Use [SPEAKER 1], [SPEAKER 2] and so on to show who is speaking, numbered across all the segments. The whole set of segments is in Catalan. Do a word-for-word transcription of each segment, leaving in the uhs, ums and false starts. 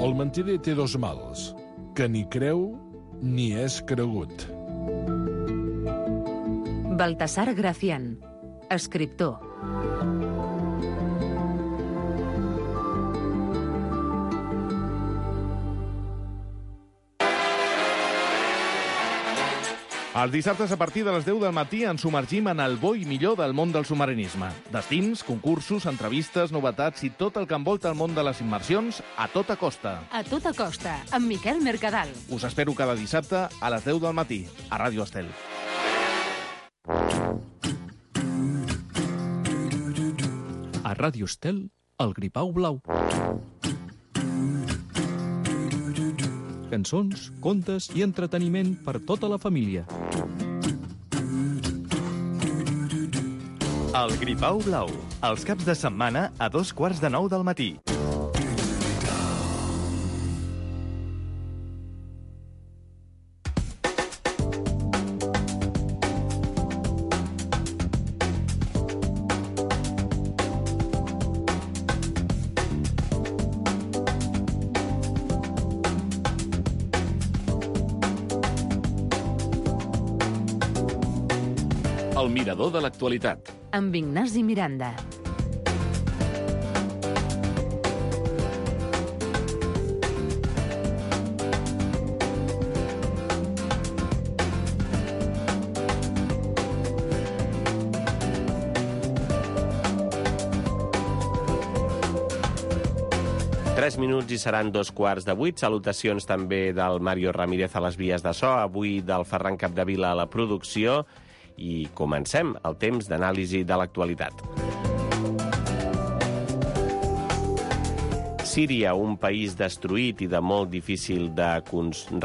[SPEAKER 1] El mentider té dos mals, que ni creu ni és cregut.
[SPEAKER 2] Baltasar Gracián, escriptor.
[SPEAKER 3] Els dissabtes a partir de les deu del matí ens submergim en el bo i millor del món del submarinisme. Destins, concursos, entrevistes, novetats i tot el que envolta el món de les immersions a tota costa.
[SPEAKER 2] A tota costa, amb Miquel Mercadal.
[SPEAKER 3] Us espero cada dissabte a les deu del matí, a Ràdio Estel.
[SPEAKER 4] A Ràdio Estel, el Gripau Blau. Cançons, contes i entreteniment per tota la família.
[SPEAKER 5] El Gripau Blau, els caps de setmana a dos quarts de nou del matí.
[SPEAKER 6] El mirador de l'actualitat.
[SPEAKER 2] Amb Ignasi Miranda.
[SPEAKER 7] Tres minuts i seran dos quarts de vuit. Salutacions també del Mario Ramírez a les vies de so, avui del Ferran Capdevila a la producció. I comencem el temps d'anàlisi de l'actualitat. Síria, un país destruït i de molt difícil de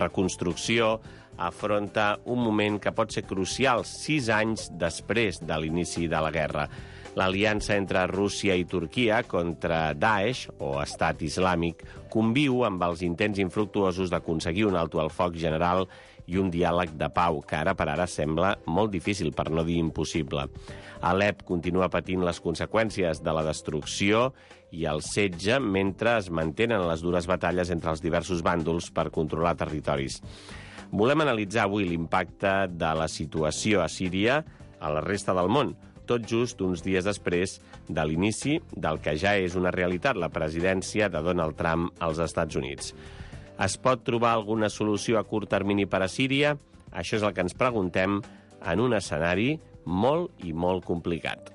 [SPEAKER 7] reconstrucció, afronta un moment que pot ser crucial sis anys després de l'inici de la guerra. L'aliança entre Rússia i Turquia contra Daesh, o Estat Islàmic, conviu amb els intents infructuosos d'aconseguir un alto al foc general i un diàleg de pau, que ara per ara sembla molt difícil, per no dir impossible. Alep continua patint les conseqüències de la destrucció i el setge mentre es mantenen les dures batalles entre els diversos bàndols per controlar territoris. Volem analitzar avui l'impacte de la situació a Síria a la resta del món, tot just uns dies després de l'inici del que ja és una realitat, la presidència de Donald Trump als Estats Units. Es pot trobar alguna solució a curt termini per a Síria? Això és el que ens preguntem en un escenari molt i molt complicat.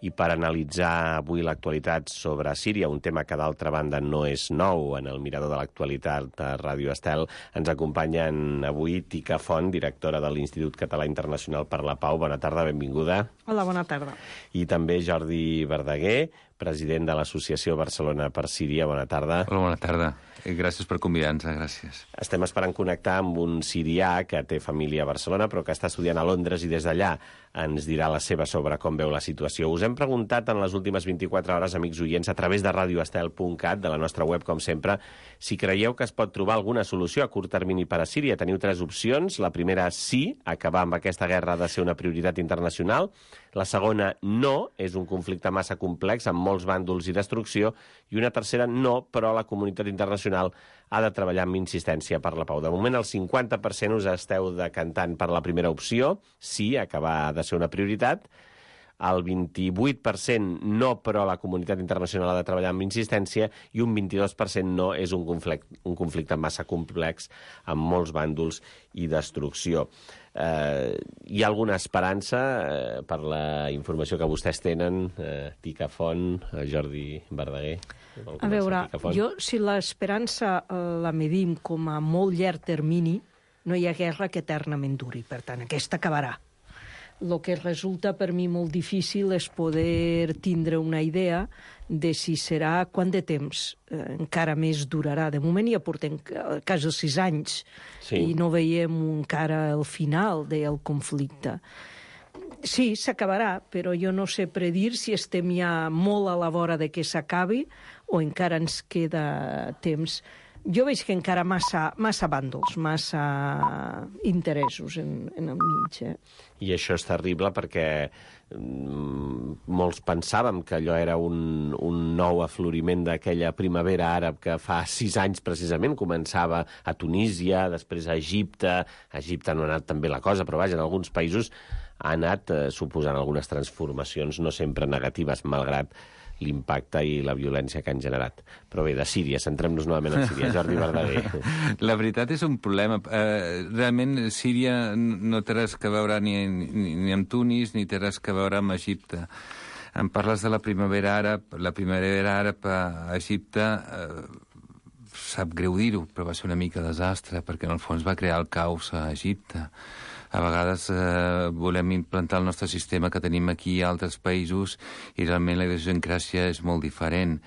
[SPEAKER 7] I per analitzar avui l'actualitat sobre Síria, un tema que d'altra banda no és nou en el mirador de l'actualitat de Ràdio Estel, ens acompanyen avui Tica Font, directora de l'Institut Català Internacional per la Pau. Bona tarda, benvinguda.
[SPEAKER 8] Hola, bona tarda.
[SPEAKER 7] I també Jordi Verdaguer, president de l'Associació Barcelona per Síria. Bona tarda.
[SPEAKER 9] Hola, bona tarda. Gràcies per convidar-nos, gràcies.
[SPEAKER 7] Estem esperant connectar amb un sirià que té família a Barcelona, però que està estudiant a Londres i des d'allà ens dirà la seva sobre com veu la situació. Us hem preguntat en les últimes vint-i-quatre hores, amics oients, a través de radioestel punt cat, de la nostra web, com sempre, si creieu que es pot trobar alguna solució a curt termini per a Síria. Teniu tres opcions. La primera, sí, acabar amb aquesta guerra ha de ser una prioritat internacional. La segona, no, és un conflicte massa complex, amb molts bàndols i destrucció. I una tercera, no, però la comunitat internacional ha de treballar amb insistència per la pau. De moment, el cinquanta per cent us esteu decantant per la primera opció, sí, acabar ha de ser una prioritat. El vint-i-vuit per cent no, però la comunitat internacional ha de treballar amb insistència, i un vint-i-dos per cent no, és un conflicte, un conflicte massa complex, amb molts bàndols i destrucció. Eh, hi ha alguna esperança eh, per la informació que vostès tenen, eh, Tica Font, eh, Jordi Verdaguer?
[SPEAKER 8] A veure, jo, si l'esperança la medim com a molt llarg termini, no hi ha guerra que eternament duri. Per tant, aquesta acabarà. El que resulta per mi molt difícil és poder tindre una idea de si serà quant de temps eh, encara més durarà. De moment ja portem quasi sis anys sí. I no veiem encara el final del conflicte. Sí, s'acabarà, però jo no sé predir si estem ja molt a la vora de que s'acabi o encara ens queda temps. jo veig que encara massa, massa bàndols, massa interessos en, en el mig. Eh?
[SPEAKER 7] I això és terrible perquè mm, molts pensàvem que allò era un, un nou afloriment d'aquella primavera àrab que fa sis anys precisament començava a Tunísia, després a Egipte. A Egipte no ha anat tan bé la cosa, però vaja, en alguns països ha anat eh, suposant algunes transformacions no sempre negatives, malgrat l'impacte i la violència que han generat. Però bé, de Síria, centrem-nos novament en Síria. Jordi Verdaguer.
[SPEAKER 9] La veritat és un problema. Eh, realment, Síria no té res que veure ni, ni, ni amb Tunis, ni té res que veure amb Egipte. Em parles de la primavera àrab. La primavera àrab a Egipte, eh, sap greu dir-ho, però va ser una mica desastre, perquè en el fons va crear el caos a Egipte. A vegades eh, volem implantar el nostre sistema que tenim aquí a altres països i realment la idiosincràsia és molt diferent.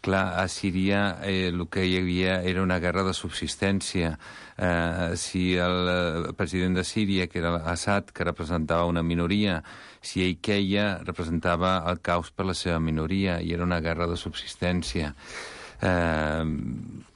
[SPEAKER 9] Clar, a Síria eh, el que hi havia era una guerra de subsistència. Eh, si el eh, president de Síria, que era Assad, que representava una minoria, si ell queia, representava el caos per la seva minoria i era una guerra de subsistència. Eh,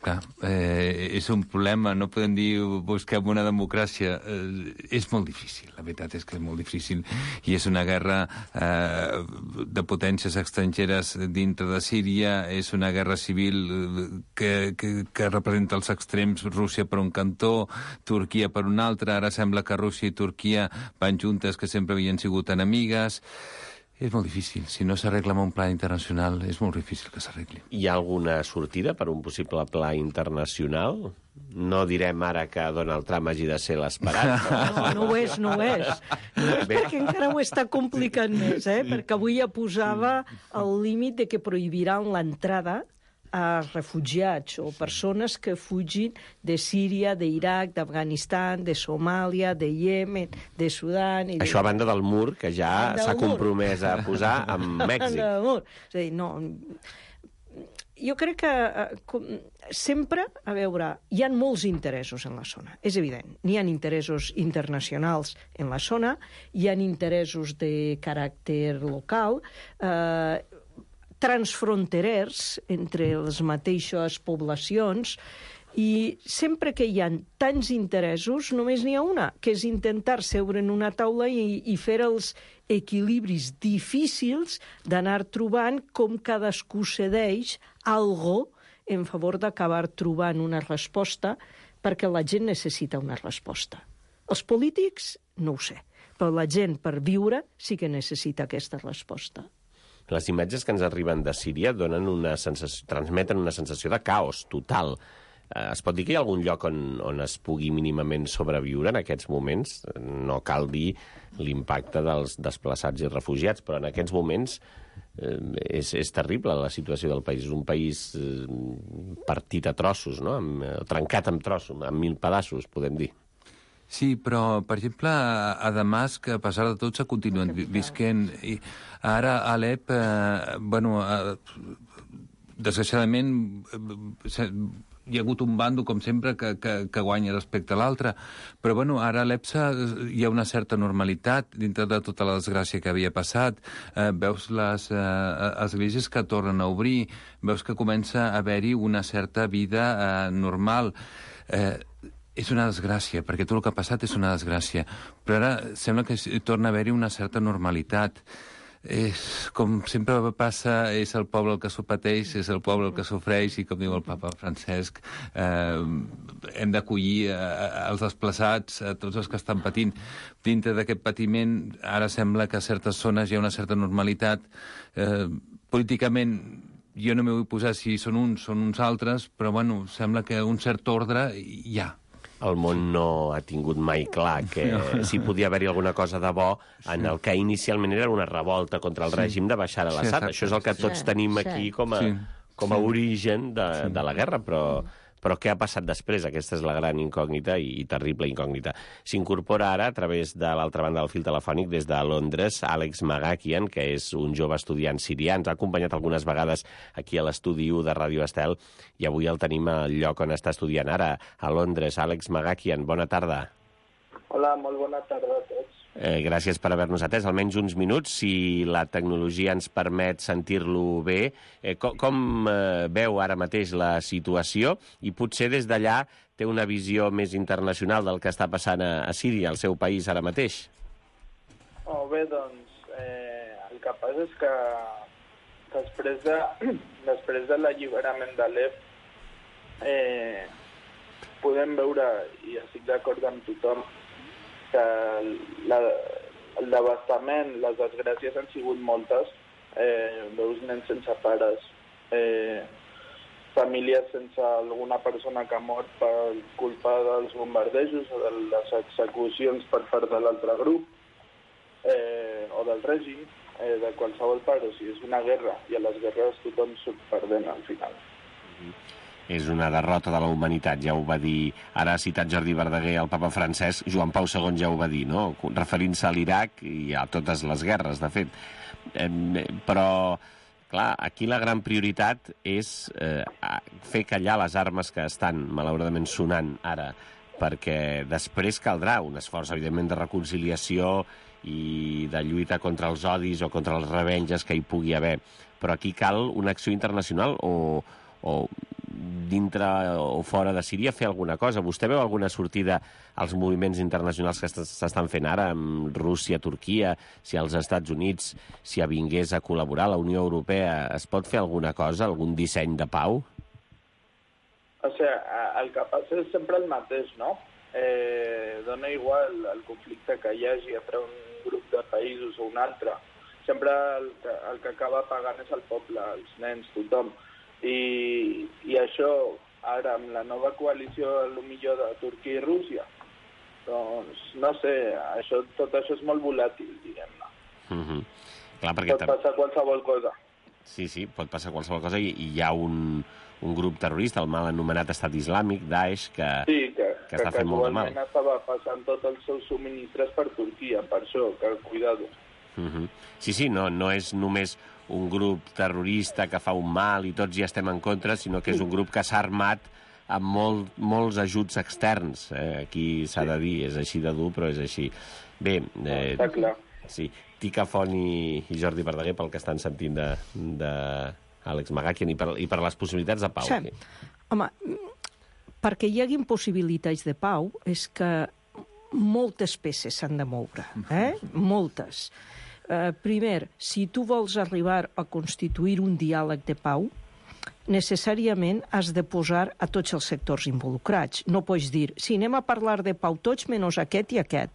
[SPEAKER 9] clar, eh, és un problema, no podem dir busquem una democràcia, eh, és molt difícil, la veritat és que és molt difícil i és una guerra eh, de potències estrangeres dintre de Síria, és una guerra civil que, que, que representa els extrems, Rússia per un cantó, Turquia per un altre, ara sembla que Rússia i Turquia van juntes que sempre havien sigut enemigues. És molt difícil. Si no s'arregla amb un pla internacional, és molt difícil que s'arregli.
[SPEAKER 7] Hi ha alguna sortida per un possible pla internacional? No direm ara que Donald Trump hagi de ser l'esperat.
[SPEAKER 8] No, no ho és, no ho és. Perquè encara ho està complicant més, eh? Perquè avui ja posava el límit de que prohibiran l'entrada a refugiats o persones que fugin de Síria, d'Iraq, d'Afganistan, de Somàlia, de Iemen, de Sudan... I
[SPEAKER 7] Això
[SPEAKER 8] de...
[SPEAKER 7] a banda del mur, que ja s'ha compromès a posar amb Mèxic.
[SPEAKER 8] Del mur. És a dir, no... Jo crec que com, sempre, a veure, hi ha molts interessos en la zona, és evident. N'hi ha interessos internacionals en la zona, hi ha interessos de caràcter local, eh, transfronterers entre les mateixes poblacions, i sempre que hi ha tants interessos només n'hi ha una, que és intentar seure en una taula i, i fer els equilibris difícils d'anar trobant com cadascú cedeix algo en favor d'acabar trobant una resposta, perquè la gent necessita una resposta. Els polítics, no ho sé, però la gent per viure sí que necessita aquesta resposta.
[SPEAKER 7] Les imatges que ens arriben de Síria donen una sensació, transmeten una sensació de caos total. Eh, es pot dir que hi ha algun lloc on, on es pugui mínimament sobreviure en aquests moments? No cal dir l'impacte dels desplaçats i refugiats, però en aquests moments eh, és, és terrible la situació del país. És un país eh, partit a trossos, no? Amb, eh, trencat en trossos, en mil pedaços, podem dir.
[SPEAKER 9] Sí, però, per exemple, a Damasc, a pesar de tot, s'ha continuat visquent. I ara a Alep, eh, bueno, eh, desgraciadament, eh, hi ha hagut un bando, com sempre, que, que, que guanya respecte a l'altre. Però, bueno, ara a Alep hi ha una certa normalitat dintre de tota la desgràcia que havia passat. Eh, veus les eh, esglésies que tornen a obrir, veus que comença a haver-hi una certa vida eh, normal. Eh, És una desgràcia, perquè tot el que ha passat és una desgràcia. Però ara sembla que torna a haver-hi una certa normalitat. És, com sempre passa, és el poble el que s'ho pateix, és el poble el que sofreix, i com diu el papa Francesc, eh, hem d'acollir eh, els desplaçats, a tots els que estan patint. Dintre d'aquest patiment, ara sembla que a certes zones hi ha una certa normalitat. Eh, políticament, jo no m'hi vull posar si són uns, són uns altres, però bueno, sembla que un cert ordre hi ha.
[SPEAKER 7] El món no ha tingut mai clar que no. Si podia haver-hi alguna cosa de bo en el que inicialment era una revolta contra el sí. règim de Bashar al-Assad. Sí, això és el que tots sí, tenim sí. aquí com a, sí. com a origen de, sí. de la guerra, però... Però què ha passat després? Aquesta és la gran incògnita i, i terrible incògnita. S'incorpora ara, a través de l'altra banda del fil telefònic, des de Londres, Àlex Magakian, que és un jove estudiant sirià. Ens ha acompanyat algunes vegades aquí a l'estudi u de Ràdio Estel i avui el tenim al lloc on està estudiant ara, a Londres. Àlex Magakian, bona tarda.
[SPEAKER 10] Hola, molt bona tarda a tots.
[SPEAKER 7] Eh, gràcies per haver-nos atès, almenys uns minuts, si la tecnologia ens permet sentir-lo bé. Eh, com com eh, veu ara mateix la situació i potser des d'allà té una visió més internacional del que està passant a, a Síria, al seu país ara mateix?
[SPEAKER 10] Oh, bé, doncs, eh, el que passa és que després de, després de l'alliberament d'Alep eh, podem veure, i estic d'acord amb tothom, que la, el devastament, les desgràcies han sigut moltes. Eh, veus nens sense pares, eh, famílies sense alguna persona que ha mort per culpa dels bombardejos o de les execucions per part de l'altre grup, eh, o del règim, eh, de qualsevol part. O sigui, és una guerra, i a les guerres tothom surt perdent al final.
[SPEAKER 7] Mm-hmm. És una derrota de la humanitat, ja ho va dir, ara ha citat Jordi Verdaguer, el papa francès, Joan Pau segon ja ho va dir, no? Referint-se a l'Iraq i a totes les guerres, de fet. Eh, però, clar, aquí la gran prioritat és eh, fer callar les armes que estan, malauradament, sonant ara, perquè després caldrà un esforç, evidentment, de reconciliació i de lluita contra els odis o contra els revenges que hi pugui haver. Però aquí cal una acció internacional o, o dintre o fora de Síria fer alguna cosa. Vostè veu alguna sortida als moviments internacionals que s'estan fent ara amb Rússia, Turquia, si als Estats Units s'hi avingués a col·laborar, la Unió Europea, es pot fer alguna cosa, algun disseny de pau?
[SPEAKER 10] O sigui, el que passa és sempre el mateix, no? Eh, dona igual el conflicte que hi hagi entre un grup de països o un altre. Sempre el que, el que acaba pagant és el poble, els nens, tothom. I, i això, ara, amb la nova coalició, potser de Turquia i Rússia, doncs, no sé, això, tot això és molt volàtil, diguem-ne.
[SPEAKER 7] Mm-hmm. Clar, perquè
[SPEAKER 10] pot passar qualsevol cosa.
[SPEAKER 7] Sí, sí, pot passar qualsevol cosa, i, i hi ha un, un grup terrorista, el mal anomenat Estat Islàmic, Daesh, que,
[SPEAKER 10] sí, que,
[SPEAKER 7] que està que fent molt de mal.
[SPEAKER 10] Sí, que estava passant tots els seus subministres per Turquia, per això, que cuidado.
[SPEAKER 7] Mm-hmm. Sí, sí, no, no és només un grup terrorista que fa un mal i tots hi estem en contra, sinó que és un grup que s'ha armat amb molt, molts ajuts externs. Eh, aquí s'ha de dir, és així de dur, però és així. Bé, eh,
[SPEAKER 10] està clar.
[SPEAKER 7] Sí, Tica Font i, i Jordi Verdaguer, pel que estan sentint de, de Àlex Magakian, i per, i per les possibilitats de pau.
[SPEAKER 8] Sí. Home, perquè hi hagi possibilitats de pau és que moltes peces s'han de moure, eh? Moltes. Uh, primer, si tu vols arribar a constituir un diàleg de pau, necessàriament has de posar a tots els sectors involucrats. No pots dir, si anem a parlar de pau tots menys aquest i aquest.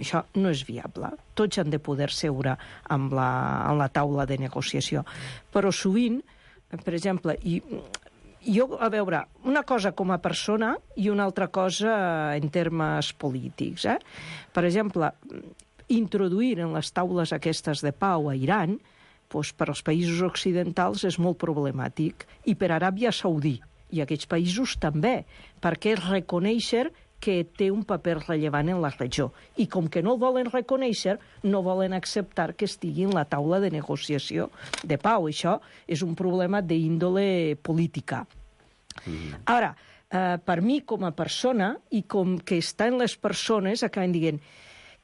[SPEAKER 8] Això no és viable. Tots han de poder seure amb la, amb la taula de negociació. Però sovint, per exemple, i, jo, a veure, una cosa com a persona i una altra cosa en termes polítics. Eh? Per exemple, introduir en les taules aquestes de pau a Iran, doncs per als països occidentals és molt problemàtic, i per Aràbia Saudí i aquests països també, perquè és reconèixer que té un paper rellevant en la regió. I com que no el volen reconèixer, no volen acceptar que estigui en la taula de negociació de pau. Això és un problema d'índole política. Mm. Ara, eh, per mi com a persona, i com que està en les persones, acaben dient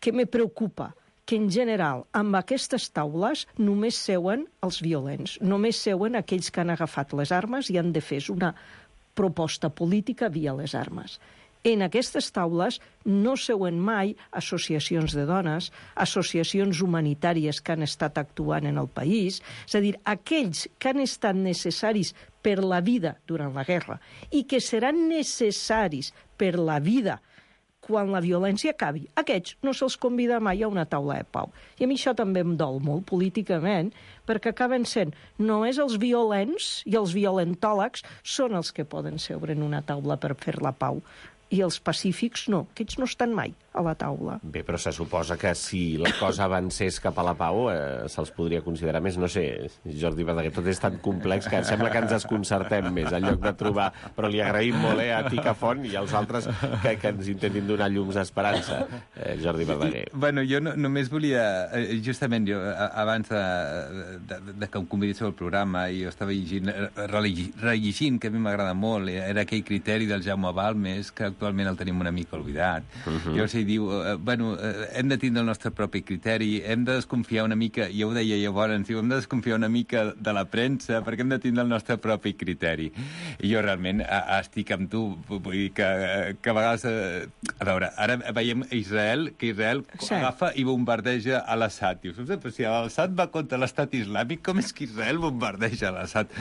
[SPEAKER 8] que me preocupa que, en general, amb aquestes taules només seuen els violents, només seuen aquells que han agafat les armes i han de fer una proposta política via les armes. En aquestes taules no seuen mai associacions de dones, associacions humanitàries que han estat actuant en el país, és a dir, aquells que han estat necessaris per la vida durant la guerra i que seran necessaris per la vida quan la violència acabi. Aquests no se'ls convida mai a una taula de pau. I a mi això també em dol molt políticament, perquè acaben sent només els violents i els violentòlegs són els que poden seure en una taula per fer la pau. I els pacífics no, aquests no estan mai a la taula.
[SPEAKER 7] Bé, però se suposa que si la cosa avancés cap a la pau eh, se'ls podria considerar més. No sé, Jordi Verdaguer, tot és tan complex que sembla que ens desconcertem més en lloc de trobar... Però li agraïm molt eh, a Tica Font i als altres que, que ens intentin donar llums d'esperança. Eh, Jordi Verdaguer.
[SPEAKER 9] Bueno, jo no, només volia... Justament, jo, abans de, de, de que em convidéssiu al programa, jo estava llegint, rellegint, que a mi m'agrada molt, era aquell criteri del Jaume Balmes, que actualment el tenim una mica oblidat.
[SPEAKER 7] Uh-huh.
[SPEAKER 9] Llavors ell diu, eh, bueno, eh, hem de tindre el nostre propi criteri, hem de desconfiar una mica, ja ho deia llavors, diu, hem de desconfiar una mica de la premsa perquè hem de tindre el nostre propi criteri. I jo realment a, a estic amb tu, vull dir que, que a vegades... Eh, a veure, ara veiem Israel, que Israel sí. agafa i bombardeja a l'Assad. Dius, però si l'Assad va contra l'estat islàmic, com és que Israel bombardeja l'Assad?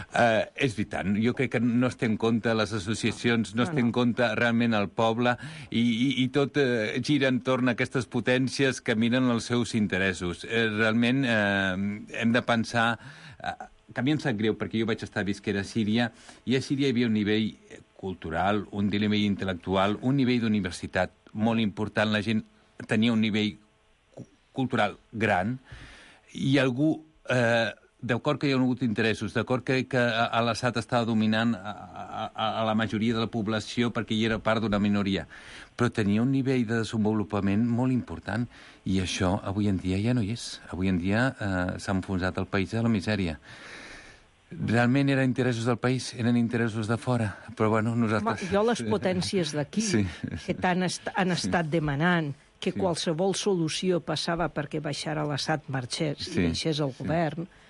[SPEAKER 9] Uh, és veritat, jo crec que no es té en compte les associacions, no es té en compte realment el poble i, i, i tot uh, gira entorn a aquestes potències que miren els seus interessos. Uh, realment uh, hem de pensar... Uh, que a mi em sap greu, perquè jo vaig estar visquera a Síria, i a Síria hi havia un nivell cultural, un nivell intel·lectual, un nivell d'universitat molt important. La gent tenia un nivell cultural gran, i algú... Eh, d'acord que hi ha hagut interessos, d'acord que, que l'Assad estava dominant a, a, a la majoria de la població perquè hi era part d'una minoria, però tenia un nivell de desenvolupament molt important, i això avui en dia ja no hi és. Avui en dia eh, s'ha enfonsat el país a la misèria. Realment eren interessos del país, eren interessos de fora, però bueno, nosaltres...
[SPEAKER 8] Home, jo les potències d'aquí, sí, sí. que tant est han estat sí. demanant que sí. qualsevol solució passava perquè baixar a l'Assad marxés sí. i deixés el govern... Sí.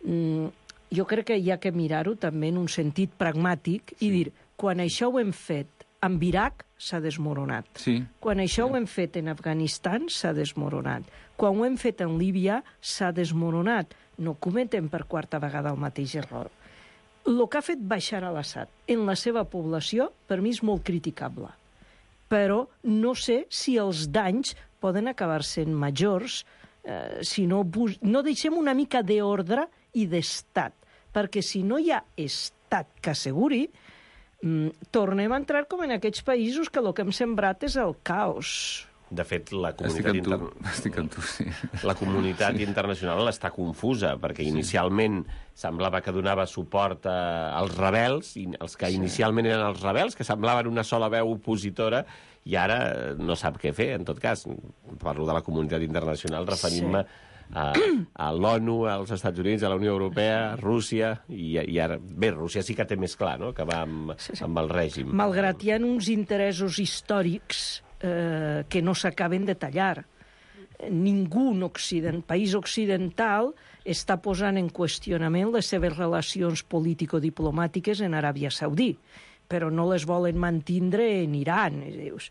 [SPEAKER 8] Mm, jo crec que hi ha que mirar-ho també en un sentit pragmàtic sí. i dir, quan això ho hem fet amb Iraq, s'ha desmoronat.
[SPEAKER 9] Sí.
[SPEAKER 8] Quan això
[SPEAKER 9] sí.
[SPEAKER 8] ho hem fet en Afganistan, s'ha desmoronat. Quan ho hem fet en Líbia, s'ha desmoronat. No cometem per quarta vegada el mateix error. El que ha fet baixar a l'Assad en la seva població, per mi és molt criticable. Però no sé si els danys poden acabar sent majors eh, si no, no deixem una mica d'ordre i d'estat, perquè si no hi ha estat que asseguri, mm, tornem a entrar com en aquests països que el que hem sembrat és el caos.
[SPEAKER 7] De fet, la comunitat,
[SPEAKER 9] Estic amb tu. Estic amb tu, sí.
[SPEAKER 7] La comunitat sí. internacional està confusa, perquè sí. inicialment semblava que donava suport a, als rebels, i els que sí. inicialment eren els rebels, que semblaven una sola veu opositora, i ara no sap què fer. En tot cas, parlo de la comunitat internacional, referint-me sí. a, a l'ONU, als Estats Units, a la Unió Europea, a Rússia, i, i ara... Bé, Rússia sí que té més clar, no?, que va amb, sí, sí. amb el règim.
[SPEAKER 8] Malgrat hi ha uns interessos històrics eh, que no s'acaben de tallar. Ningú en Occident, país occidental està posant en qüestionament les seves relacions político-diplomàtiques en Aràbia Saudí, però no les volen mantindre en Iran. Dius,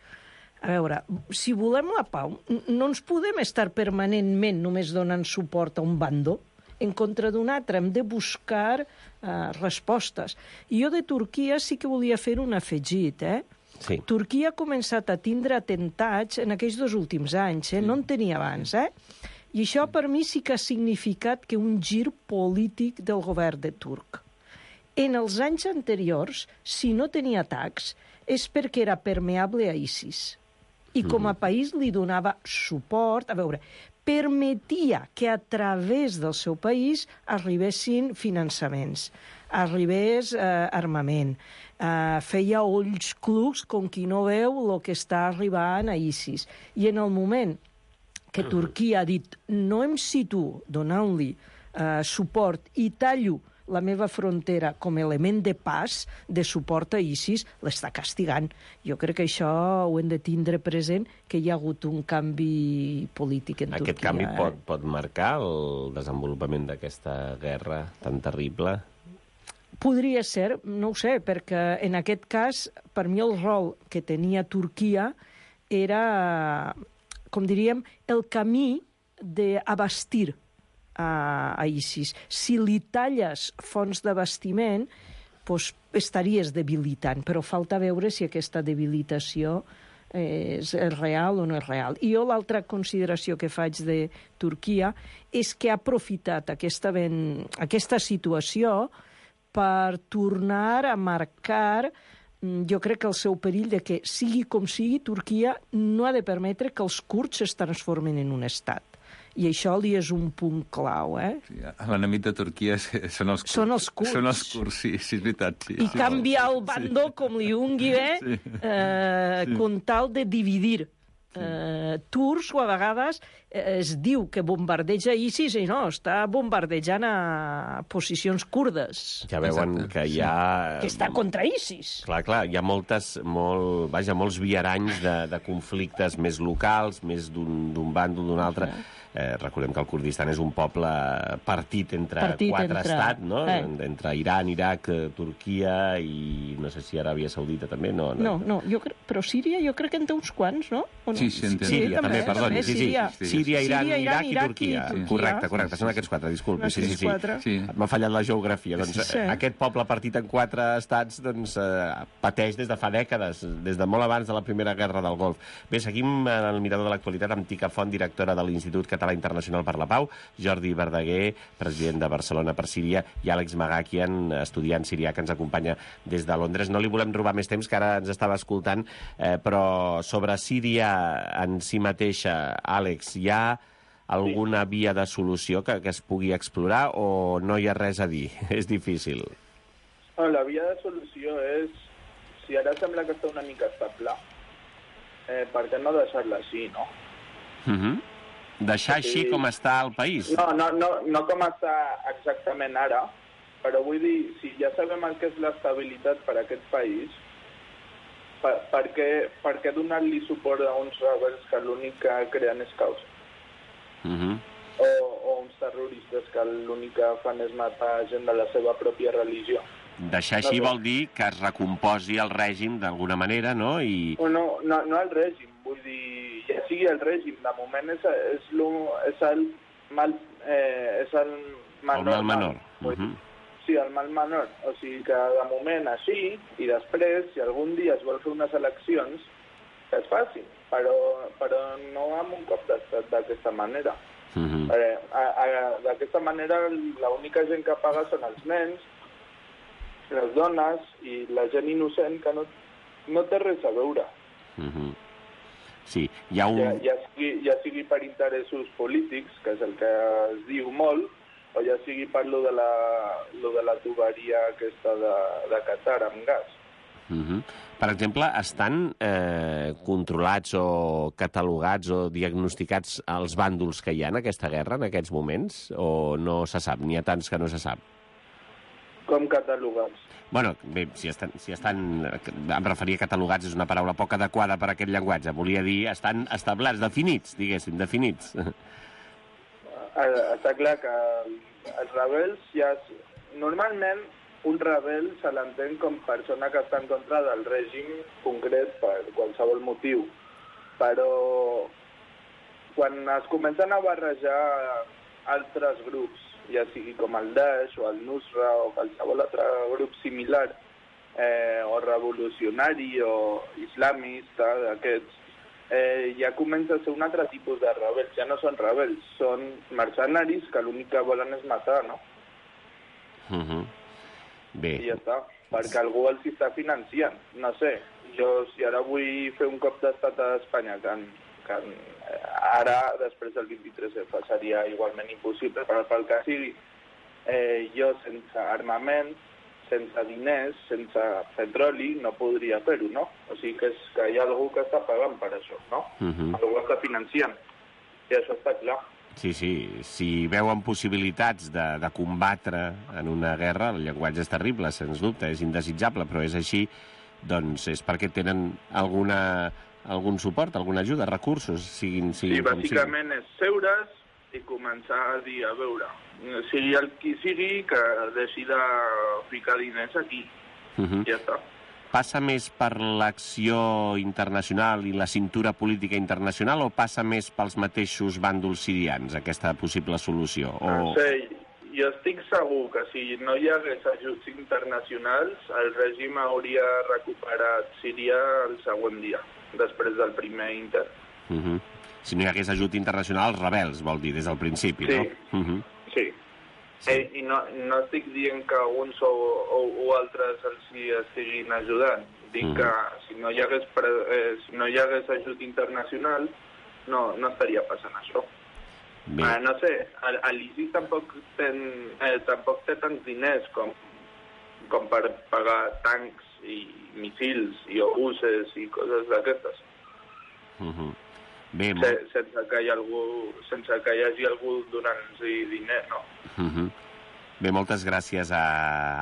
[SPEAKER 8] a veure, si volem la pau, no ens podem estar permanentment només donant suport a un bando en contra d'un altre. Hem de buscar uh, respostes. I jo de Turquia sí que volia fer un afegit, eh?
[SPEAKER 7] Sí.
[SPEAKER 8] Turquia ha començat a tindre atemptats en aquells dos últims anys, eh? No en tenia abans, eh? I això per mi sí que ha significat que un gir polític del govern de turc. En els anys anteriors, si no tenia atacs, és perquè era permeable a ISIS. I com a país li donava suport, a veure, permetia que a través del seu país arribessin finançaments, arribés eh, armament, eh, feia ulls clucs com qui no veu el que està arribant a ISIS. I en el moment que Turquia ha dit no em situo donant-li eh, suport i tallo la meva frontera com a element de pas, de suport a ISIS, l'està castigant. Jo crec que això ho hem de tindre present, que hi ha hagut un canvi polític en
[SPEAKER 7] Aquest
[SPEAKER 8] Turquia.
[SPEAKER 7] Aquest canvi
[SPEAKER 8] eh?
[SPEAKER 7] pot, pot marcar el desenvolupament d'aquesta guerra tan terrible?
[SPEAKER 8] Podria ser, no ho sé, perquè en aquest cas, per mi el rol que tenia Turquia era, com diríem, el camí d'abastir a, a ISIS. Si li talles fonts d'abastiment, doncs estaries debilitant, però falta veure si aquesta debilitació és real o no és real. I jo l'altra consideració que faig de Turquia és que ha aprofitat aquesta, ben, aquesta situació per tornar a marcar, jo crec que el seu perill de que, sigui com sigui, Turquia no ha de permetre que els kurds es transformin en un estat. I això li és un punt clau, eh?
[SPEAKER 9] Sí, l'enemic de Turquia són els kurds.
[SPEAKER 8] Són els kurds.
[SPEAKER 9] Són els kurds, sí, sí, és veritat. Sí,
[SPEAKER 8] I
[SPEAKER 9] sí,
[SPEAKER 8] canviar
[SPEAKER 9] sí.
[SPEAKER 8] el bando, sí. com li ungui bé, sí. eh, sí. con tal de dividir. eh, turcs o a vegades eh, es diu que bombardeja ISIS i no, està bombardejant a posicions kurdes.
[SPEAKER 7] Ja veuen Exacte. que hi ha...
[SPEAKER 8] Que està contra ISIS.
[SPEAKER 7] Clar, clar, hi ha moltes, molt, vaja, molts viaranys de, de conflictes més locals, més d'un bàndol, d'un altre. Eh, recordem que el Kurdistan és un poble partit entre partit quatre entre... estats, no? Eh. Entre Iran, Iraq, Turquia i no sé si Aràbia Saudita també. No,
[SPEAKER 8] no, no, no jo cre... però Síria jo crec que en té uns quants, no? no?
[SPEAKER 9] Sí, sí, entenc.
[SPEAKER 7] Síria, també,
[SPEAKER 8] també,
[SPEAKER 7] perdoni.
[SPEAKER 8] també,
[SPEAKER 7] sí, sí.
[SPEAKER 8] Síria.
[SPEAKER 7] Síria, Iran,
[SPEAKER 8] Síria,
[SPEAKER 7] Iraq, Iraq i Turquia.
[SPEAKER 8] I Turquia.
[SPEAKER 7] Correcte, correcte, són aquests quatre, disculpi. Sí, sí, sí.
[SPEAKER 9] sí.
[SPEAKER 7] M'ha fallat la geografia. Doncs
[SPEAKER 8] sí.
[SPEAKER 7] aquest poble partit en quatre estats doncs, eh, pateix des de fa dècades, des de molt abans de la Primera Guerra del Golf. Bé, seguim en el mirador de l'actualitat amb Tica Font, directora de l'Institut Català Internacional per la Pau, Jordi Verdaguer, president de Barcelona per Síria, i Àlex Magakian, estudiant sirià, que ens acompanya des de Londres. No li volem robar més temps, que ara ens estava escoltant, eh, però sobre Síria en si mateixa, Àlex, hi ha alguna via de solució que, que es pugui explorar o no hi ha res a dir? És difícil.
[SPEAKER 10] No, la via de solució és, si ara sembla que està una mica estable, eh, per què no deixar-la així, no?
[SPEAKER 7] Mhm. Deixar així com està el país?
[SPEAKER 10] No, no, no, no com està exactament ara, però vull dir, si ja sabem el que és l'estabilitat per a aquest país, per, per, què, per què donar-li suport a uns rebels que l'únic que creen és caos?
[SPEAKER 7] Uh -huh.
[SPEAKER 10] o, o uns terroristes que l'únic que fan és matar gent de la seva pròpia religió?
[SPEAKER 7] Deixar així no, vol dir que es recomposi el règim d'alguna manera, no? I...
[SPEAKER 10] No, no, no el règim, vull dir, ja sigui el règim, de moment és, és, lo, és el mal, eh, és el menor.
[SPEAKER 7] El mal menor.
[SPEAKER 10] Mal,
[SPEAKER 7] uh -huh.
[SPEAKER 10] Sí, el mal menor. O sigui que de moment així, i després, si algun dia es vol fer unes eleccions, que es facin, però, però no amb un cop d'estat d'aquesta manera.
[SPEAKER 7] Uh -huh.
[SPEAKER 10] eh, d'aquesta manera l'única gent que paga són els nens, les dones i la gent innocent que no, no té res a veure.
[SPEAKER 7] Uh -huh. Sí, hi ha un...
[SPEAKER 10] Ja, ja, sigui, ja sigui per interessos polítics, que és el que es diu molt, o ja sigui per lo de la, lo de la tuberia aquesta de, de Qatar amb gas.
[SPEAKER 7] Uh -huh. Per exemple, estan eh, controlats o catalogats o diagnosticats els bàndols que hi ha en aquesta guerra en aquests moments? O no se sap? N'hi ha tants que no se sap?
[SPEAKER 10] Com catalogats?
[SPEAKER 7] Bueno, bé, si estan, si estan... Em referia a catalogats, és una paraula poc adequada per a aquest llenguatge. Volia dir, estan establerts, definits, diguéssim, definits.
[SPEAKER 10] Està clar que els rebels ja... Normalment, un rebel se l'entén com persona que està en contra del règim concret per qualsevol motiu. Però quan es comencen a barrejar altres grups, ja sigui com el Daesh o el Nusra o qualsevol altre grup similar, eh, o revolucionari o islamista d'aquests, eh, ja comença a ser un altre tipus de rebels. Ja no són rebels, són mercenaris que l'únic que volen és matar, no?
[SPEAKER 7] Uh -huh. Bé.
[SPEAKER 10] I ja està, perquè algú els està financiant. No sé, jo si ara vull fer un cop d'estat a Espanya, que, que ara, després del vint-i-tres F, seria igualment impossible, però pel que sigui, eh, jo sense armament, sense diners, sense petroli, no podria fer-ho, no? O sigui que, és, que hi ha algú que està pagant per això, no?
[SPEAKER 7] Uh -huh.
[SPEAKER 10] Algú està financiant, i això està clar.
[SPEAKER 7] Sí, sí, si veuen possibilitats de, de combatre en una guerra, el llenguatge és terrible, sens dubte, és indesitjable, però és així, doncs és perquè tenen alguna, algun suport, alguna ajuda, recursos, siguin, siguin
[SPEAKER 10] sí,
[SPEAKER 7] com siguin.
[SPEAKER 10] Sí, bàsicament és seure's i començar a dir, a veure, sigui el qui sigui que deixi de ficar diners aquí.
[SPEAKER 7] Uh -huh.
[SPEAKER 10] Ja està.
[SPEAKER 7] Passa més per l'acció internacional i la cintura política internacional o passa més pels mateixos bàndols sirians, aquesta possible solució? O...
[SPEAKER 10] No sé, jo estic segur que si no hi hagués ajuts internacionals, el règim hauria recuperat Síria el següent dia, després del primer intent.
[SPEAKER 7] Uh -huh. Si no hi hagués ajut internacional, els rebels, vol dir, des del principi,
[SPEAKER 10] sí.
[SPEAKER 7] no? Uh -huh.
[SPEAKER 10] Sí. Sí. Eh, I no, no estic dient que uns o, o, o altres els hi estiguin ajudant. Dic mm. que si no hi hagués, pre, eh, si no hi hagués ajut internacional, no, no estaria passant això. Eh, no sé, l'ISIS tampoc, ten, eh, tampoc té tants diners com, com per pagar tancs i missils i obuses i coses d'aquestes.
[SPEAKER 7] Mm -hmm.
[SPEAKER 10] Bé, se, sense, que hi algú, sense que hi hagi algú donant-nos diner, no?
[SPEAKER 7] Uh -huh. Bé, moltes gràcies a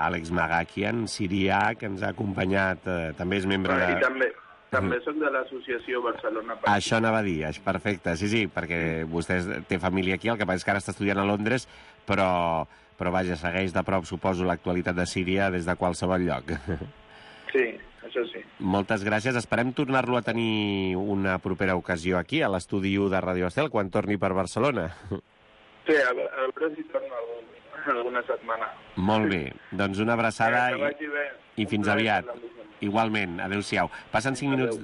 [SPEAKER 7] Àlex Magakian, sirià, que ens ha acompanyat, eh, també és membre de...
[SPEAKER 10] I també, també soc de l'associació Barcelona per
[SPEAKER 7] Això anava a dir, és perfecte, sí, sí, perquè vostè té família aquí, el que passa és que ara està estudiant a Londres, però, però vaja, segueix de prop, suposo, l'actualitat de Síria des de qualsevol lloc.
[SPEAKER 10] Sí, això sí.
[SPEAKER 7] Moltes gràcies, esperem tornar-lo a tenir una propera ocasió aquí, a l'estudi u de Radio Estel, quan torni per Barcelona.
[SPEAKER 10] Sí, a veure si torno algun alguna setmana.
[SPEAKER 7] Molt bé, doncs una abraçada
[SPEAKER 10] que vagi bé.
[SPEAKER 7] i, i fins aviat. Igualment, adéu-siau. Passen cinc minuts...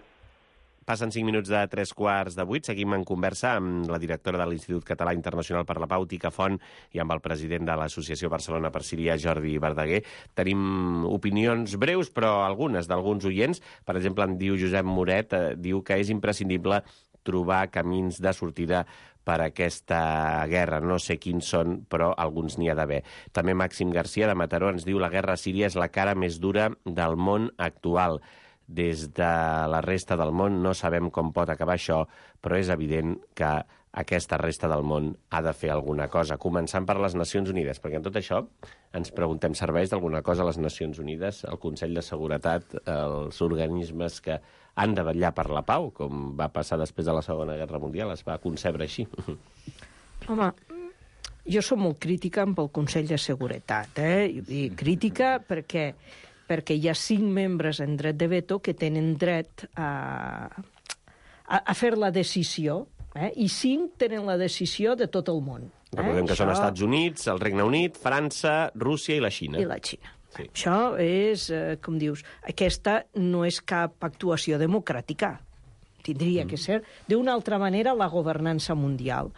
[SPEAKER 7] Passen cinc minuts de tres quarts de vuit. Seguim en conversa amb la directora de l'Institut Català Internacional per la Pau, Tica Font, i amb el president de l'Associació Barcelona per Síria, Jordi Verdaguer. Tenim opinions breus, però algunes d'alguns oients. Per exemple, en diu Josep Moret, eh, diu que és imprescindible trobar camins de sortida per aquesta guerra. No sé quins són, però alguns n'hi ha d'haver. També Màxim Garcia, de Mataró, ens diu la guerra a Síria és la cara més dura del món actual. Des de la resta del món no sabem com pot acabar això, però és evident que aquesta resta del món ha de fer alguna cosa, començant per les Nacions Unides, perquè en tot això ens preguntem, serveix d'alguna cosa a les Nacions Unides, el Consell de Seguretat, els organismes que han de vetllar per la pau, com va passar després de la Segona Guerra Mundial, es va concebre així.
[SPEAKER 8] Home, jo soc molt crítica amb el Consell de Seguretat, eh? I crítica perquè, perquè hi ha cinc membres en dret de veto que tenen dret a, a, a fer la decisió, eh? I cinc tenen la decisió de tot el món. Eh?
[SPEAKER 7] Recordem que
[SPEAKER 8] Això...
[SPEAKER 7] són els Estats Units, el Regne Unit, França, Rússia i la Xina.
[SPEAKER 8] I la Xina.
[SPEAKER 7] Sí.
[SPEAKER 8] Això és, eh, com dius, aquesta no és cap actuació democràtica. Tindria mm. que ser d'una altra manera la governança mundial.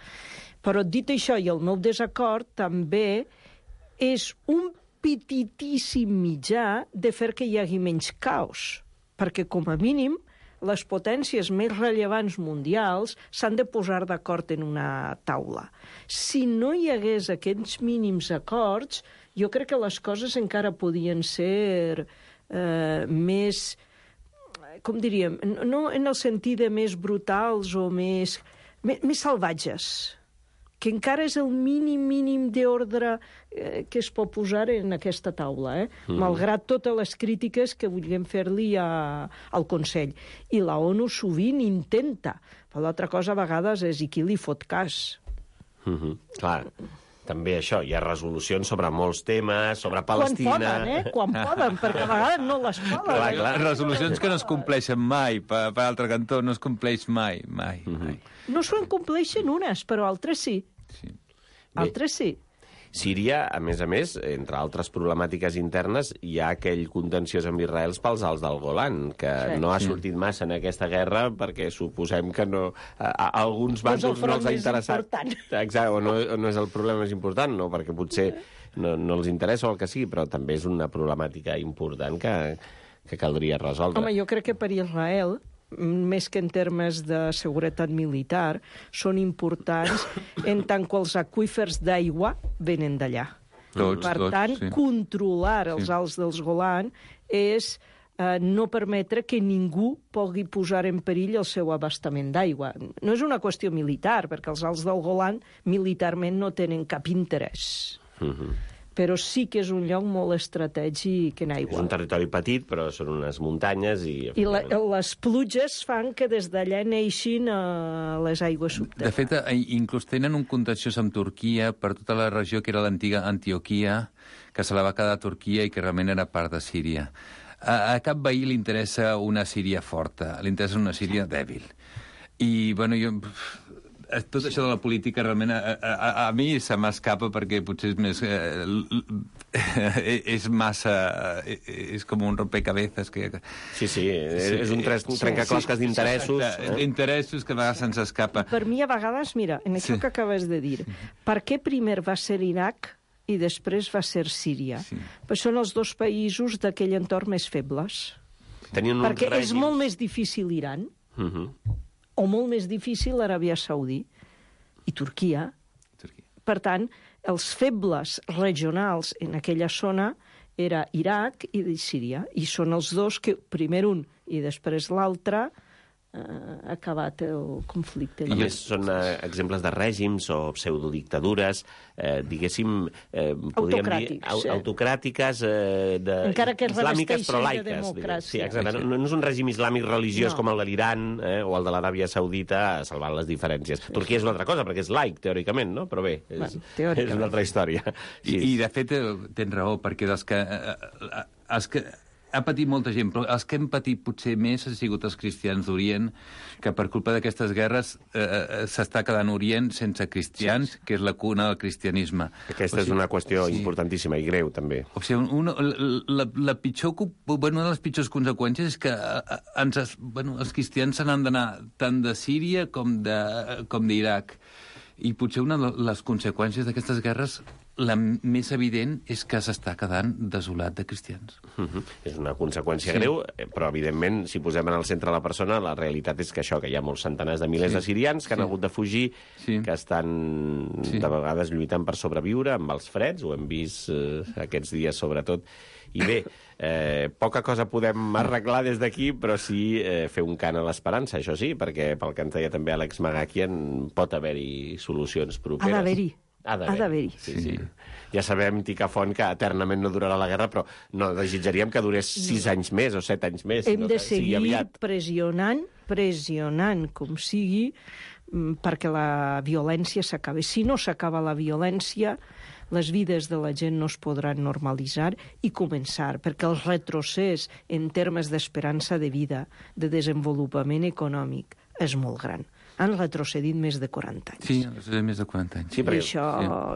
[SPEAKER 8] Però dit això, i el meu desacord també és un petitíssim mitjà de fer que hi hagi menys caos, perquè com a mínim les potències més rellevants mundials s'han de posar d'acord en una taula. Si no hi hagués aquests mínims acords, jo crec que les coses encara podien ser eh, més, com diríem, no en el sentit de més brutals o més, més, més salvatges, que encara és el mínim, mínim d'ordre eh, que es pot posar en aquesta taula, eh? Mm. Malgrat totes les crítiques que vulguem fer-li a, al Consell. I la ONU sovint intenta, però l'altra cosa a vegades és i qui li fot cas.
[SPEAKER 7] Mm -hmm. Clar, també això, hi ha resolucions sobre molts temes, sobre Palestina...
[SPEAKER 8] Quan poden, eh? Quan poden, perquè a vegades no les poden.
[SPEAKER 9] Clar, clar, resolucions que no es compleixen mai, per, per altre cantó, no es compleix mai, mai, mm -hmm. mai.
[SPEAKER 8] No se'n compleixen unes, però altres sí.
[SPEAKER 9] Sí.
[SPEAKER 8] Altres sí.
[SPEAKER 7] Síria, a més a més, entre altres problemàtiques internes, hi ha aquell contenciós amb Israel pels alts del Golan, que sí. no ha sortit massa en aquesta guerra perquè suposem que no, a, a alguns bàndols no, no els ha interessat. Exacte, o no, o no és el problema més important, no, perquè potser no, no els interessa o el que sigui, però també és una problemàtica important que, que caldria resoldre.
[SPEAKER 8] Home, jo crec que per Israel, més que en termes de seguretat militar, són importants en tant que els aqüífers d'aigua venen d'allà.
[SPEAKER 9] Tots,
[SPEAKER 8] per
[SPEAKER 9] tots,
[SPEAKER 8] tant,
[SPEAKER 9] sí.
[SPEAKER 8] controlar els sí. alts dels Golan és eh, no permetre que ningú pugui posar en perill el seu abastament d'aigua. No és una qüestió militar, perquè els alts del Golan militarment no tenen cap interès.
[SPEAKER 7] Mm-hmm.
[SPEAKER 8] Però sí que és un lloc molt estratègic en aigua.
[SPEAKER 7] És un territori petit, però són unes muntanyes i...
[SPEAKER 8] I la, les pluges fan que des d'allà neixin uh, les aigües subterrànies.
[SPEAKER 9] De fet, inclús tenen un contenciós amb Turquia per tota la regió que era l'antiga Antioquia, que se la va quedar a Turquia i que realment era part de Síria. A, a cap veí li interessa una Síria forta, li interessa una Síria dèbil. I, bueno, jo... Tot això de la política realment a, a, a mi se m'escapa perquè potser és més... Eh, és massa... És com un rompecabezas que...
[SPEAKER 7] Sí, sí, és un trencaclosques sí, d'interessos.
[SPEAKER 9] Eh? D'interessos que a vegades se'ns escapa.
[SPEAKER 8] Per mi, a vegades, mira, en això sí. que acabes de dir, per què primer va ser Iraq i després va ser Síria? Sí. Però són els dos països d'aquell entorn més febles.
[SPEAKER 7] Tenien
[SPEAKER 8] perquè
[SPEAKER 7] règims...
[SPEAKER 8] és molt més difícil Iran, uh -huh. o molt més difícil l'Aràbia Saudí i Turquia.
[SPEAKER 9] Turquia.
[SPEAKER 8] Per tant, els febles regionals en aquella zona era Iraq i Síria, i són els dos que, primer un i després l'altre, uh, acabat el conflicte.
[SPEAKER 7] A més, són uh, exemples de règims o pseudodictadures, eh, diguéssim, eh, podríem dir, au
[SPEAKER 8] sí.
[SPEAKER 7] autocràtiques, eh, de,
[SPEAKER 8] encara que
[SPEAKER 7] islàmiques, però
[SPEAKER 8] de
[SPEAKER 7] laiques.
[SPEAKER 8] democràcia.
[SPEAKER 7] Sí, exacte. No, no és un règim islàmic religiós
[SPEAKER 8] no.
[SPEAKER 7] com el de l'Iran eh, o el de l'Aràbia Saudita, salvant les diferències. Sí. Turquia és una altra cosa, perquè és laic, teòricament, no? Però bé, és, bueno, és una altra història.
[SPEAKER 9] I, I de fet, tens raó, perquè dels que... Eh, els que ha patit molta gent, però els que hem patit potser més han sigut els cristians d'Orient, que per culpa d'aquestes guerres eh, s'està quedant Orient sense cristians, sí. que és la cuna del cristianisme.
[SPEAKER 7] Aquesta
[SPEAKER 9] o sigui,
[SPEAKER 7] és una qüestió
[SPEAKER 9] sí.
[SPEAKER 7] importantíssima i greu, també.
[SPEAKER 9] O sigui, una, la, la pitjor, bueno, una de les pitjors conseqüències és que ens, bueno, els cristians se n'han d'anar tant de Síria com de, com d'Iraq. I potser una de les conseqüències d'aquestes guerres, la més evident, és que s'està quedant desolat de cristians.
[SPEAKER 7] Uh-huh. És una conseqüència sí. greu, però, evidentment, si posem en el centre la persona, la realitat és que això, que hi ha molts centenars de milers sí. de sirians que sí. han hagut de fugir, sí. que estan sí. de vegades lluitant per sobreviure amb els freds, ho hem vist eh, aquests dies, sobretot. I bé, eh, poca cosa podem arreglar des d'aquí, però sí eh, fer un cant a l'esperança, això sí, perquè pel que ens deia també Àlex Magakian, pot haver-hi solucions properes.
[SPEAKER 8] Ha d'haver-hi.
[SPEAKER 7] Ha d'haver-hi. Sí, sí. Ja sabem, Ticafont, que eternament no durarà la guerra, però no desitjaríem que durés sis no. anys més o set anys més.
[SPEAKER 8] Hem
[SPEAKER 7] no
[SPEAKER 8] de
[SPEAKER 7] que
[SPEAKER 8] seguir
[SPEAKER 7] aviat.
[SPEAKER 8] pressionant, pressionant com sigui, perquè la violència s'acabi. Si no s'acaba la violència, les vides de la gent no es podran normalitzar i començar, perquè el retrocés en termes d'esperança de vida, de desenvolupament econòmic, és molt gran. Han retrocedit més de quaranta anys.
[SPEAKER 9] Sí, més de quaranta anys.
[SPEAKER 7] Sí, perquè...
[SPEAKER 8] I això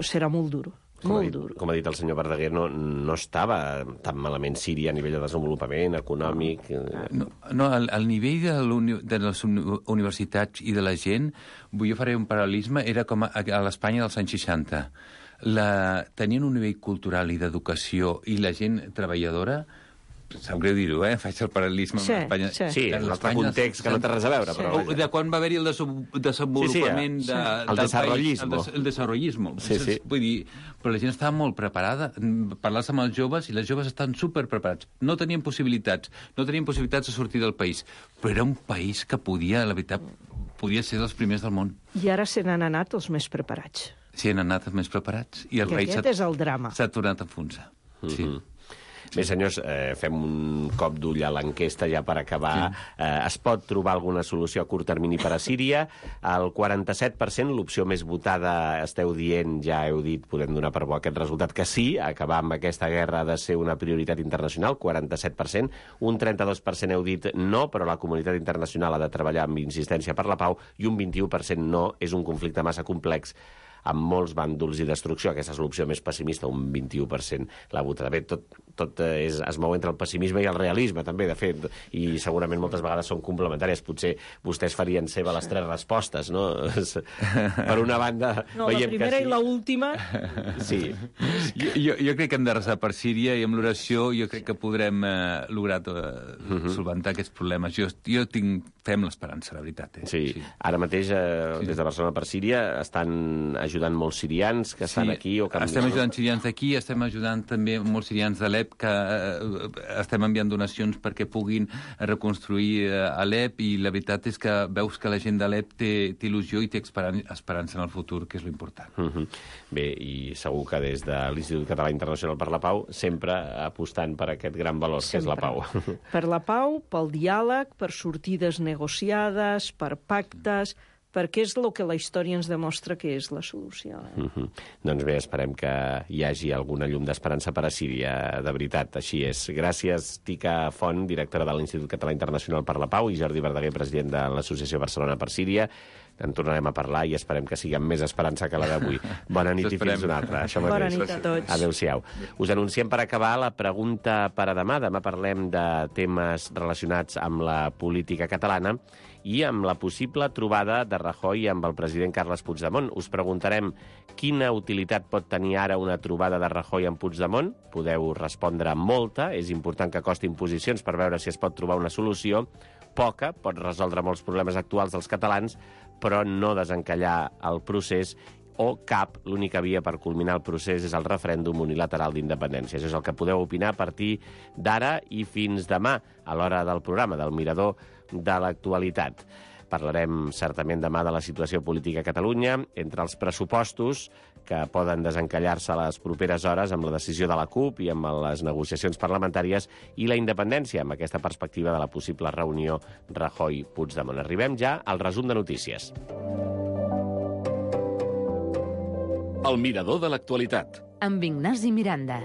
[SPEAKER 8] sí. serà molt dur.
[SPEAKER 7] Com
[SPEAKER 8] molt
[SPEAKER 7] ha, dit,
[SPEAKER 8] dur.
[SPEAKER 7] com ha dit el senyor Verdaguer, no, no estava tan malament Síria a nivell de desenvolupament econòmic.
[SPEAKER 9] No, no al, al nivell de, uni, de les universitats i de la gent, jo faré un paral·lelisme, era com a, a l'Espanya dels anys seixanta. La, tenien un nivell cultural i d'educació i la gent treballadora, sap greu dir-ho, eh? Faig el paral·lelisme
[SPEAKER 8] sí,
[SPEAKER 9] amb l'Espanya.
[SPEAKER 8] Sí,
[SPEAKER 7] sí en l'altre context que no té res a veure. Però
[SPEAKER 9] sí. De quan va haver-hi el desenvolupament
[SPEAKER 7] sí, sí,
[SPEAKER 9] de,
[SPEAKER 7] sí. el desarrollisme.
[SPEAKER 9] El, des, el desarrollisme.
[SPEAKER 7] Sí, sí.
[SPEAKER 9] Vull dir, però la gent estava molt preparada. Parlaves amb els joves i les joves estan superpreparats. No tenien possibilitats, no tenien possibilitats de sortir del país, però era un país que podia, la veritat, podia ser dels primers del món.
[SPEAKER 8] I ara se n'han anat els més preparats.
[SPEAKER 9] Sí, han anat els més preparats. I el
[SPEAKER 8] I
[SPEAKER 9] rei
[SPEAKER 8] aquest és el drama.
[SPEAKER 9] S'ha tornat a enfonsar.
[SPEAKER 7] Mm-hmm.
[SPEAKER 9] Sí.
[SPEAKER 7] Bé, senyors, eh, fem un cop d'ull a l'enquesta ja per acabar. Sí. Eh, es pot trobar alguna solució a curt termini per a Síria? El quaranta-set per cent, l'opció més votada, esteu dient, ja heu dit, podem donar per bo aquest resultat, que sí, acabar amb aquesta guerra ha de ser una prioritat internacional, quaranta-set per cent. Un trenta-dos per cent heu dit no, però la comunitat internacional ha de treballar amb insistència per la pau, i un vint-i-u per cent no, és un conflicte massa complex amb molts bàndols i destrucció. Aquesta és l'opció més pessimista, un vint-i-u per cent la votada. Bé, tot, tot és, es mou entre el pessimisme i el realisme, també, de fet, i segurament moltes vegades són complementàries. Potser vostès farien seva les tres respostes, no? Per una banda,
[SPEAKER 8] no,
[SPEAKER 7] veiem que sí.
[SPEAKER 8] La primera i l'última...
[SPEAKER 7] Sí.
[SPEAKER 9] Jo, jo, jo crec que hem de resar per Síria i amb l'oració jo crec que podrem eh, lograr eh, uh-huh. solventar aquests problemes. Jo, jo tinc, fem l'esperança, la veritat. Eh?
[SPEAKER 7] Sí. sí, ara mateix, eh, sí. des de Barcelona per Síria, estan ajudant molts sirians que estan sí, aquí o que...
[SPEAKER 9] estem ajudant sirians d'aquí, estem ajudant també molts sirians d'Alep que eh, estem enviant donacions perquè puguin reconstruir eh, Alep, i la veritat és que veus que la gent d'Alep té, té il·lusió i té esperan esperança en el futur, que és l'important.
[SPEAKER 7] Uh -huh. Bé, i segur que des de l'Institut Català Internacional per la Pau sempre apostant per aquest gran valor, sempre. Que és la pau.
[SPEAKER 8] Per la pau, pel diàleg, per sortides negociades, per pactes... perquè és el que la història ens demostra que és la solució. Eh?
[SPEAKER 7] Uh-huh. Doncs bé, esperem que hi hagi alguna llum d'esperança per a Síria, de veritat, així és. Gràcies, Tica Font, directora de l'Institut Català Internacional per la Pau, i Jordi Verdaguer, president de l'Associació Barcelona per Síria. En tornarem a parlar i esperem que sigui amb més esperança que la d'avui. Bona nit i fins una altra. Això
[SPEAKER 8] Bona nit a tots.
[SPEAKER 7] Adéu-siau. Us anunciem per acabar la pregunta per a demà. Demà parlem de temes relacionats amb la política catalana i amb la possible trobada de Rajoy amb el president Carles Puigdemont. Us preguntarem quina utilitat pot tenir ara una trobada de Rajoy amb Puigdemont. Podeu respondre molta. És important que costin posicions per veure si es pot trobar una solució. Poca, pot resoldre molts problemes actuals dels catalans, però no desencallar el procés o cap. L'única via per culminar el procés és el referèndum unilateral d'independència. Això és el que podeu opinar a partir d'ara i fins demà, a l'hora del programa, del Mirador de l'Actualitat. Parlarem certament demà de la situació política a Catalunya, entre els pressupostos que poden desencallar-se a les properes hores amb la decisió de la CUP i amb les negociacions parlamentàries, i la independència, amb aquesta perspectiva de la possible reunió Rajoy-Puigdemont. Arribem ja al resum de notícies.
[SPEAKER 6] El Mirador de l'Actualitat.
[SPEAKER 2] Amb Ignasi Miranda.